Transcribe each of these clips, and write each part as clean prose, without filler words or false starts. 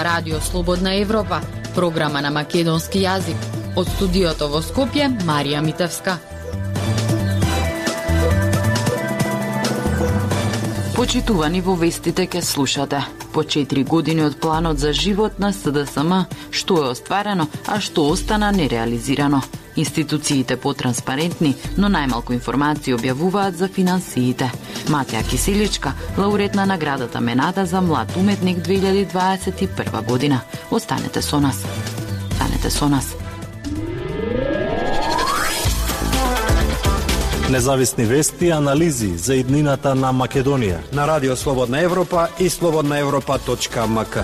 ова Радио Слободна Европа, програма на македонски јазик. Од студиото во Скопје, Марија Митевска. Почитувани, во вестите ке слушате. По 4 години од планот за живот на СДСМ, што е остварено, а што остана нереализирано. Институциите потранспарентни, но најмалку информации објавуваат за финансиите. Матја Киселичка, лауреат на наградата Менада за млад уметник 2021 година. Останете со нас. Независни вести и анализи за иднината на Македонија на Радио Слободна Европа и slobodnaevropa.mk.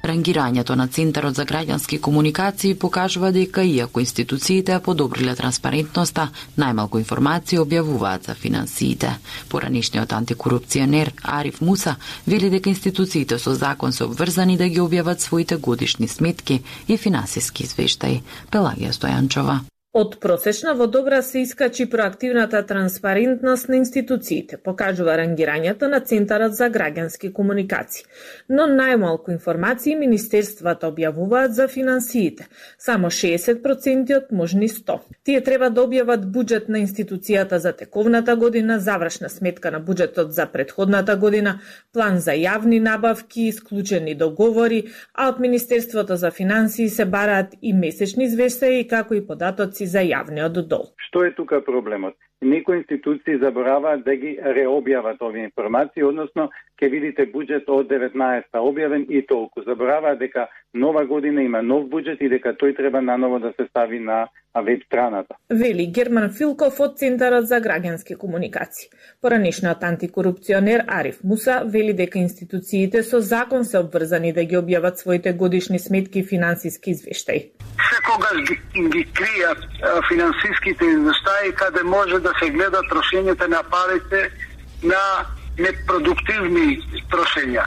Рангирањето на Центарот за граѓански комуникации покажува дека иако институциите подобриле транспарентноста, најмалку информации објавуваат за финансиите. Поранишниот антикорупционер Ариф Муса вели дека институциите со закон се обврзани да ги објават своите годишни сметки и финансиски извештаи. Пелагија Стојанчова. Од просечна во добра се искачи проактивната транспарентност на институциите, покажува рангирањето на Центарот за граѓански комуникации. Но најмалку информации министерствата објавуваат за финансиите, само 60% од можни 100. Тие треба да објават буџет на институцијата за тековната година, завршна сметка на буџетот за претходната година, план за јавни набавки, исклучени договори, а од Министерството за финансии се бараат и месечни извештаи, како и податоци за јавниот дол. Што е тука проблемот? Некои институции забораваат да ги реобјават овие информации, односно ќе видите буџет од 19-та објавен и толку. Забораваат дека нова година има нов буџет и дека тој треба наново да се стави на веб страната. Вели Герман Филков од Центарот за граѓански комуникации. Поранишниот антикорупционер Ариф Муса вели дека институциите со закон се обврзани да ги објават своите годишни сметки и финансиски извештаи. Секогаш ги кријат финансиските извештаи каде може да се гледа трошењето на парите на непродуктивни трошења.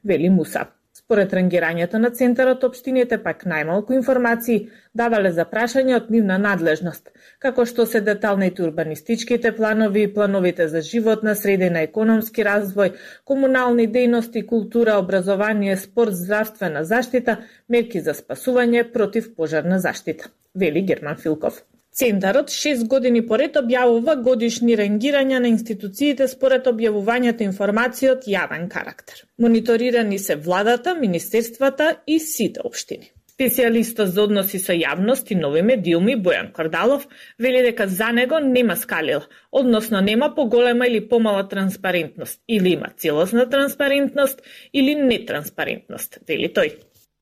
Вели Муса. Според рангирањето на Центарот, општините пак најмалку информации давале за прашање од нивна надлежност, како што се деталните урбанистичките планови и плановите за животна средина, економски развој, комунални дејности, култура, образование, спорт, здравствена заштита, мерки за спасување, против пожарна заштита, вели Герман Филков. Центарот 6 години поред објавува годишни рангирања на институциите според објавувањето информации од јавен карактер. Мониторирани се владата, министерствата и сите општини. Специјалистот за односи со јавност и нови медиуми Бојан Кордалов вели дека за него нема скалила, односно нема поголема или помала транспарентност, или има целосна транспарентност или нетранспарентност, вели тој.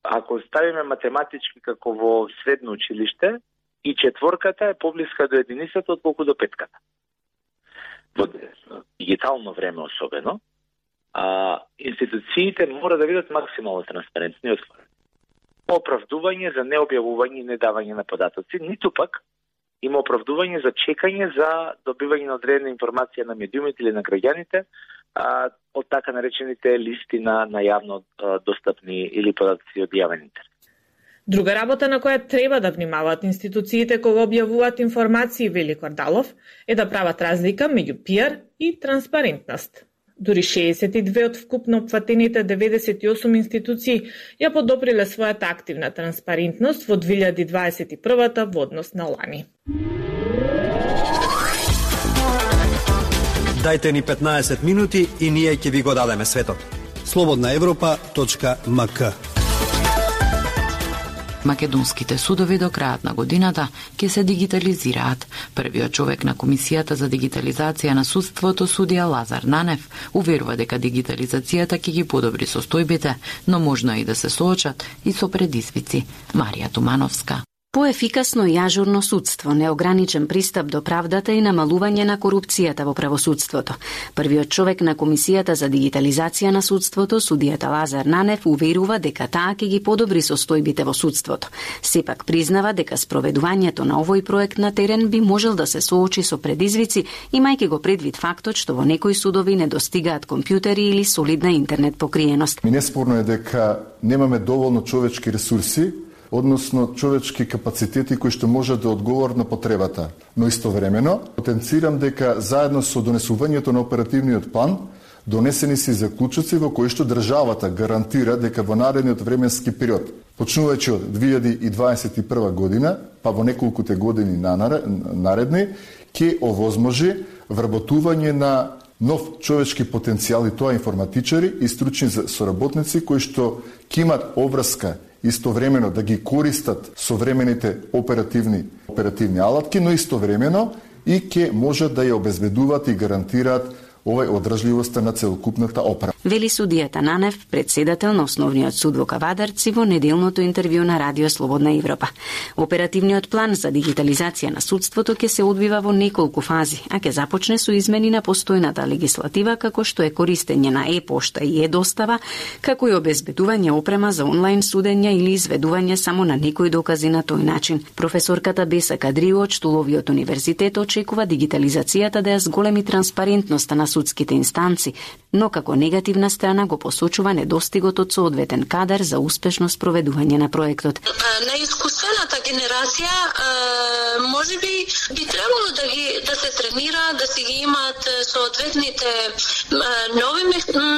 Ако ставиме математички како во средно училиште, и четворката е поблиска до единицата отколку до петката. Во дигитално време особено, институциите мора да бидат максимално транспарентни и отворени. Оправдување за необјавување и недавање на податоци, ниту пак има оправдување за чекање за добивање на одредена информација на медиумите или на граѓаните од така наречените листи на јавно достапни или податоци од јавен интерес. Друга работа на која треба да внимаваат институциите кога објавуваат информации, вели Кордалов, е да прават разлика меѓу пиар и транспарентност. Дури 62 од вкупно опфатените 98 институции ја подобриле својата активна транспарентност во 2021 во однос на лани. Дајте ни 15 минути и ние ќе ви го дадеме светот. slobodnaevropa.mk. Македонските судови до крајот на годината ќе се дигитализираат. Првиот човек на Комисијата за дигитализација на судството, судија Лазар Нанев, уверува дека дигитализацијата ќе ги подобри состојбите, но можно и да се соочат и со предизвици. Марија Тумановска. Поефикасно и ажурно судство, неограничен пристап до правдата и намалување на корупцијата во правосудството. Првиот човек на Комисијата за дигитализација на судството, судијата Лазар Нанев, уверува дека таа ќе ги подобри состојбите во судството. Сепак признава дека спроведувањето на овој проект на терен би можел да се соочи со предизвици, имајќи го предвид фактот што во некои судови не достигаат компјутери или солидна интернет покриеност. Неспорно е дека немаме доволно човечки ресурси, односно човечки капацитети кои што можат да одговорат на потребата. Но истовремено, потенцирам дека заедно со донесувањето на оперативниот план, Донесени се заклучоци во кои што државата гарантира дека во наредниот временски период, почнувајќи од 2021 година, па во неколкуте години наредни, ќе овозможи вработување на нов човечки потенцијал, и тоа информатичари и стручни соработници кои што ќе имат обврска истовремено да ги користат современите оперативни алатки, но истовремено и ќе можат да ја обезбедуваат и гарантираат овај одржливоста на целокупната опера. Вели судијата Нанев, председател на Основниот суд во Кавадарци, во неделното интервју на Радио Слободна Европа. Оперативниот план за дигитализација на судството ќе се одвива во неколку фази, а ќе започне со измени на постојната легислатива, како што е користење на е-пошта и е-достава, како и обезбедување опрема за онлайн судење или изведување само на некои докази на тој начин. Професорката Беса Кадрио од Штуловиот универзитет очекува дигитализацијата да ја зголеми транспарентноста на судските инстанци, но како негативна страна го посочува недостигот од соодветен кадар за успешно спроведување на проектот. Неискуствената генерација можеби би требало да се тренира, да си ги имаат соодветните нови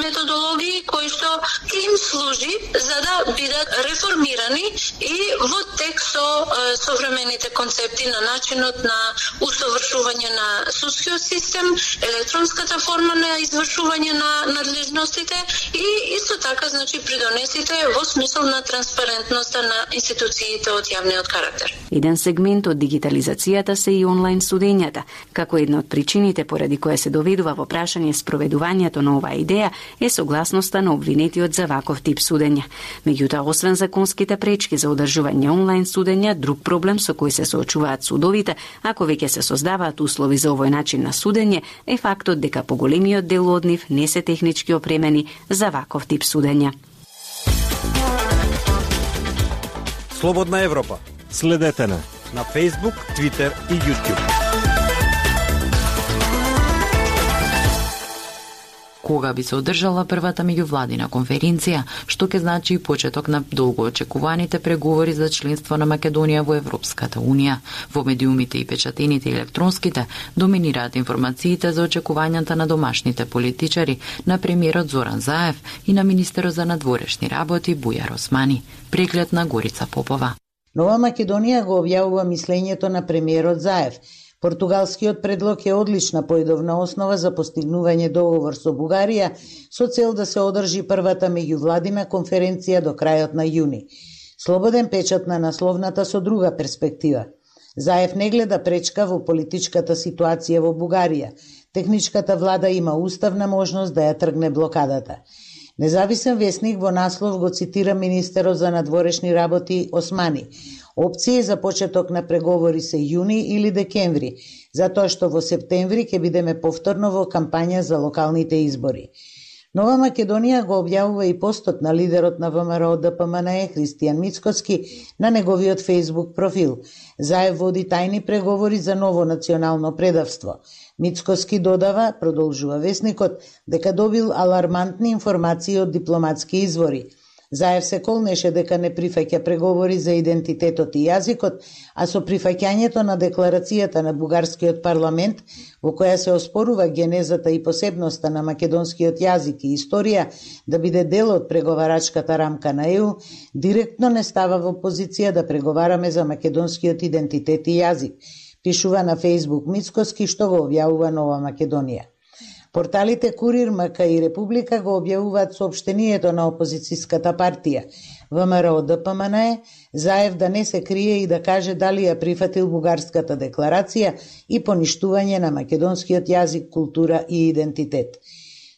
методологии кои што им служи за да бидат реформирани и во текст со современите концепти на начинот на усовршување на судскиот систем, електронската форма на извршување на надлежностите и исто така придонесите во смисол на транспарентноста на институциите од јавниот карактер. Еден сегмент од дигитализацијата се и онлайн судењата. Како една од причините поради која се доведува во прашање спроведувањето на оваа идеја е согласноста на обвинетиот за ваков тип судења. Меѓутоа, освен законските пречки за одржување онлайн судења, друг проблем со кој се соочуваат судовите, ако веќе се создаваат услови за овој начин на судење, е фактот дека поголемиот дел од нив не се технички опремени за ваков тип судења. Слободна Европа. Следете на Facebook, Twitter и YouTube. Кога би се одржала првата меѓувладина конференција, што ќе значи и почеток на долго очекуваните преговори за членство на Македонија во Европската Унија. Во медиумите и печатените и електронските доминираат информациите за очекувањата на домашните политичари, на премиерот Зоран Заев и на министерот за надворешни работи Бујар Османи. Преглед на Горица Попова. Нова Македонија го објавува мислењето на премиерот Заев. Португалскиот предлог е одлична поидовна основа за постигнување договор со Бугарија со цел да се одржи првата меѓувладина конференција до крајот на јуни. Слободен печат на насловната со друга перспектива. Заев не гледа пречка во политичката ситуација во Бугарија. Техничката влада има уставна можност да ја тргне блокадата. Независен весник во наслов го цитира министерот за надворешни работи Османи. Опции за почеток на преговори се јуни или декември, затоа што во септември ќе бидеме повторно во кампања за локалните избори. Нова Македонија го објавува и постот на лидерот на ВМРО ДПМНЕ Христијан Мицкоски на неговиот Facebook профил. Заев води тајни преговори за ново национално предавство. Мицкоски додава, продолжува весникот, дека добил алармантни информации од дипломатски извори. Заев се колнеше дека не прифаќа преговори за идентитетот и јазикот, а со прифаќањето на декларацијата на бугарскиот парламент, во која се оспорува генезата и посебноста на македонскиот јазик и историја да биде дел од преговарачката рамка на ЕУ, директно не става во позиција да преговараме за македонскиот идентитет и јазик, пишува на Facebook Мицкоски, што го објавува Нова Македонија. Порталите Курир, МК и Република го објавуваат соопштението на опозицијската партија ВМРО ДПМНЕ, Заев да не се крие и да каже дали ја прифатил бугарската декларација и поништување на македонскиот јазик, култура и идентитет.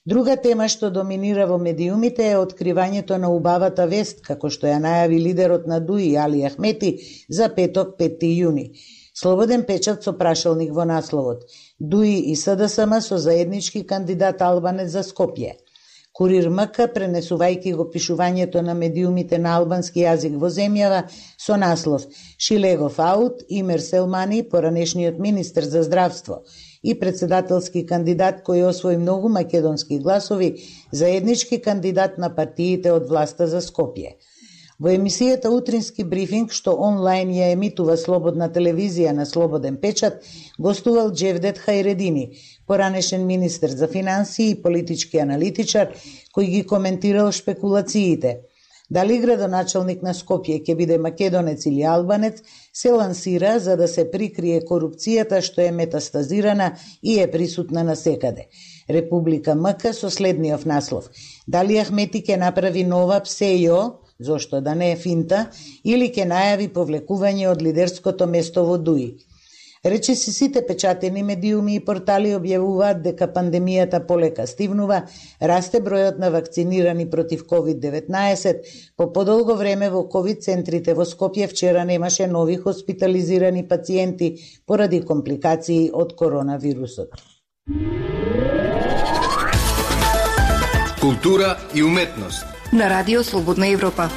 Друга тема што доминира во медиумите е откривањето на убавата вест, како што ја најави лидерот на ДУИ Али Ахмети за петок 5 јуни. Слободен печат со прашалник во насловот. ДУИ и СДСМ со заеднички кандидат Албанец за Скопје. Курир МК, пренесувајќи го пишувањето на медиумите на албански јазик во земјава, со наслов Шилегов аут, Имер Селмани, поранешниот министер за здравство и председателски кандидат кој освои многу македонски гласови, заеднички кандидат на партиите од власта за Скопје. Во емисијата Утрински брифинг, што онлайн ја емитува Слободна телевизија на Слободен печат, гостувал Джевдет Хајредини, поранешен министер за финансии и политички аналитичар, кој ги коментирал шпекулациите. Дали градоначалник на Скопје ќе биде македонец или албанец, се лансира за да се прикрие корупцијата што е метастазирана и е присутна насекаде. Република МК со следниот наслов: дали Ахмети ќе направи нова ПСЕО, зошто да не е финта, или ќе најави повлекување од лидерското место во ДУИ. Речиси сите печатени медиуми и портали објавуваат дека пандемијата полека стивнува, расте бројот на вакцинирани против COVID-19, по подолго време во ковид центрите во Скопје вчера немаше нови хоспитализирани пациенти поради компликации од коронавирусот. Култура и уметност на Радио Слободна Европа.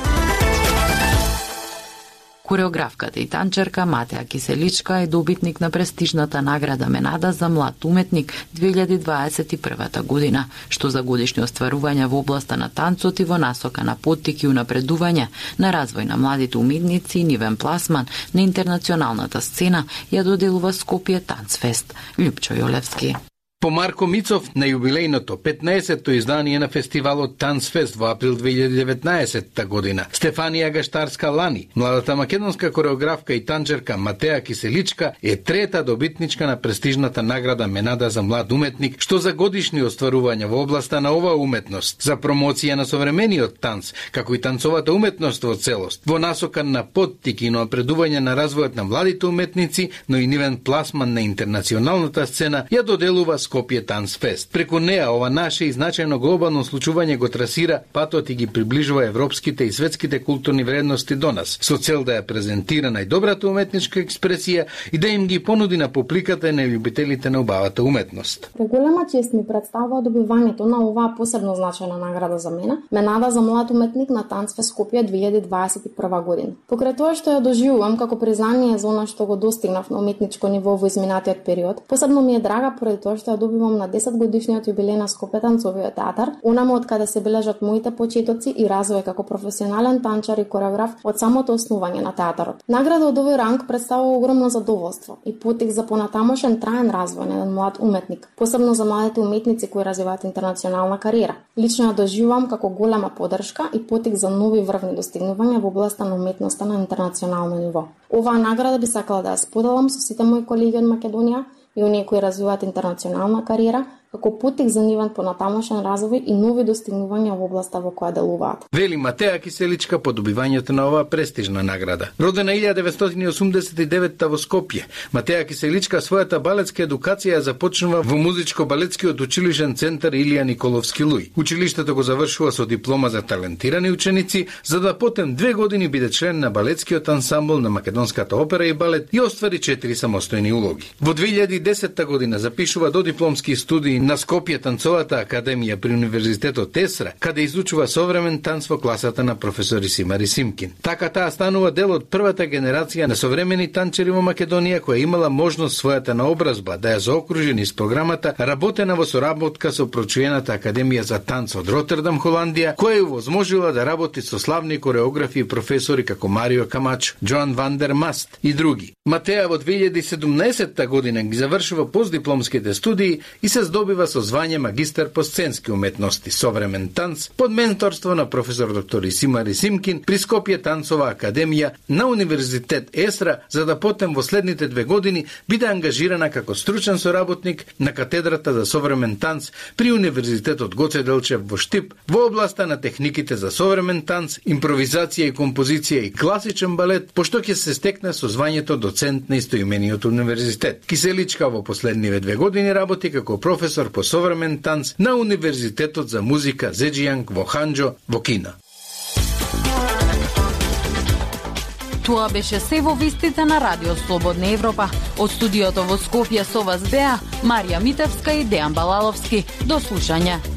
Кореографката и танчерка Матеа Киселичка е добитник на престижната награда Менада за млад уметник 2021 година, што за годишни остварувања во областа на танцот и во насока на поттик и унапредување на развој на младите уметници и нивен пласман на интернационалната сцена ја доделува Скопје Танцфест. Лјупчо Јолевски. По Марко Мицов на јубилејното 15-то издание на фестивалот Танцфест во април 2019 година, Стефанија Гаштарска Лани, младата македонска кореографка и танчерка Матеа Киселичка е трета добитничка на престижната награда Менада за млад уметник, што за годишни остварувања во областа на оваа уметност, за промоција на современиот танц, како и танцовата уметност во целост, во насока на поттик и напредување на развојот на младите уметници, но и нивен пласман на интернационалната сцена, ја доделува Скопје Танцфест. Преку неа ова наше и значајно глобално случување го трасира патот и ги приближува европските и светските културни вредности до нас, со цел да ја презентира најдобрата уметничка експресија и да им ги понуди на публиката и на љубителите на убавата уметност. Голема чест ми представува добивањето на оваа посебно значајна награда за мене, Менада за млад уметник на Танцфест Скопје 2021 година. Покрај тоа што ја доживувам како признание за она што го достигнав на уметничко ниво во изминатиот период, посебно ми е драга поради тоа што добивам на 10 годишниот јубилеј на Скопје танцовиот театар, онаму од каде се бележат моите почетоци и развој како професионален танчар и кореограф од самото основање на театарот. Награда од овој ранг представува огромно задоволство и поттик за понатамошен траен развој на еден млад уметник, посебно за младите уметници кои развиваат интернационална кариера. Лично ја доживувам како голема поддршка и поттик за нови врвни достигнувања во областа на уметноста на интернационално ниво. Оваа награда би сакала да ја споделам со сите мои колеги од Македонија и оние кои развиваат интернационална кариера, како поттик за нивен понатамошен развој и нови достигнувања во областа во која делуваат. Вели Матеа Киселичка по добивањето на оваа престижна награда. Родена 1989 во Скопје, Матеа Киселичка својата балетска едукација започнува во музичко-балетскиот училишен центар Илија Николовски Луј. Училиштето го завршува со диплома за талентирани ученици, за да потем 2 години биде член на балетскиот ансамбл на Македонската опера и балет и оствари 4 самостојни улоги. Во 2010 година запишува додипломски студии на Скопје Танцовата академија при Универзитетот Есра, каде изучува современ танц во класата на професор Исимар Исимкин. Така таа станува дел од првата генерација на современи танчери во Македонија која имала можност својата наобразба да ја заокружи низ програмата работена во соработка со прочуената академија за танц од Ротердам, Холандија, која ја возможила да работи со славни кореографи и професори како Марио Камачо, Джоан Вандер Маст и други. Матеа во 2017 година ги завршува постдипломските студии и се здобива со звање магистар по сценски уметности, современ танц, под менторство на професор доктор Исимар Исимкин при Скопје Танцова академија на Универзитет Есра, за да потем во следните 2 години биде ангажирана како стручен соработник на катедрата за современ танц при Универзитетот Гоце Делчев во Штип во областа на техниките за современ танц, импровизација и композиција и класичен балет, пошто ќе се стекне со звањето доцент на истоимениот универзитет. Киселичка во последниве 2 години работи како професор по современ танц на Универзитетот за музика Зеџијанг во Ханџо во Кина. Тоа беше се во вестите на Радио Слободна Европа. Од студиото во Скопје со вас беа Марија Митевска и Дејан Балаловски. До слушање.